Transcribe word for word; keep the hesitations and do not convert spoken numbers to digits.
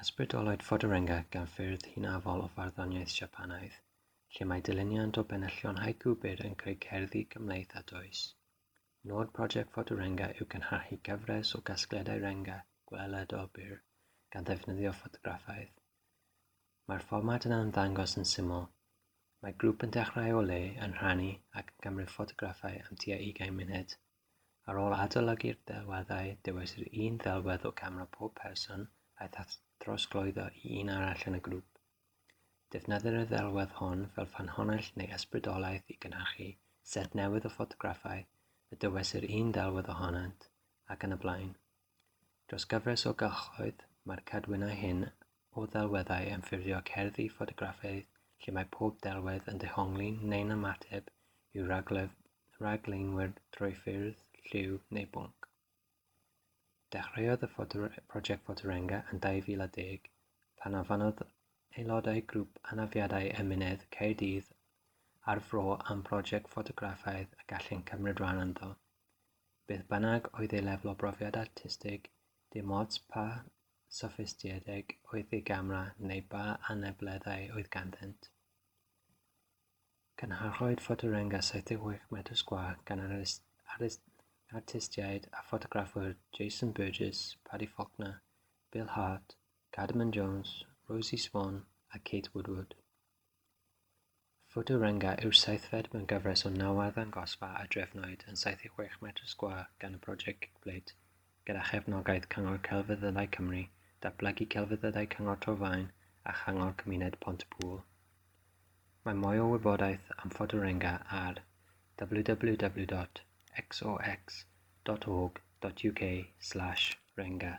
Ysbrydolwyd Ffotorenga gan ffyrdd hynafol o farddoniaeth Siapanaidd, lle mae dilyniant o benillion haiku byr yn creu cerddi cymhleth a dwys. Nod prosiect Ffotorenga yw cynhyrchu cyfres o gasgliadau renga gweledol byr, gan ddefnyddio ffotograffau. Mae'r fformat yn ymddangos yn syml. Mae grŵp yn dechrau o le, yn rhannu, ac yn cymryd ffotograffau am tua ugain munud. Ar ôl adolygu'r delweddau, dewisir un ddelwedd o gamera pob person a'i throsglwyddo i un arall yn y grŵp. Defnyddir y ddelwedd hon fel ffynhonnell neu ysbrydoliaeth i gynhyrchu set newydd o ffotograffau y dewisir un ddelwedd ohonynt, ac yn y blaen. Dros gyfres o gylchoedd, mae'r cadwynau hyn o ddelweddau yn ffurfio cerddi ffotograffaidd lle mae pob delwedd yn dehongli neu'n ymateb i'w rhagleinwyr drwy ffurf, lliw neu bwnc. Dechreuodd y prosiect Ffotorenga yn dau fil a deg, pan ofynnodd aelodau grŵp Anafiadau Ymennydd Caerdydd a'r Fro am brosiect ffotograffaidd y gallent cymryd rhan ynddo. Beth bynnag oedd eu lefel o brofiad artistig, dim ots pa soffistigedig oedd eu camera neu ba anableddau oedd ganddynt. Cynhyrchwyd Ffotorenga saith deg chwech metr sgwâr gan artistiaid a ffotograffwyr Jason Burgess, Paddy Faulkner, Bill Hart, Cardigan Jones, Rosie Swan a Kate Woodward. Ffotorenga yw'r seithfed mewn cyfres o naw arddangosfa a drefnwyd yn saith deg chwech metr sgwâr gan y prosiect Kickplate, gyda chefnogaeth Cyngor Celfyddydau Cymru, Datblygu Celfyddydau Cyngor Torfaen a Chyngor Cymuned Pont-y-pŵl. Mae mwy o wybodaeth am Ffotorenga ar w w w dot x o x dot org dot u k slash renga.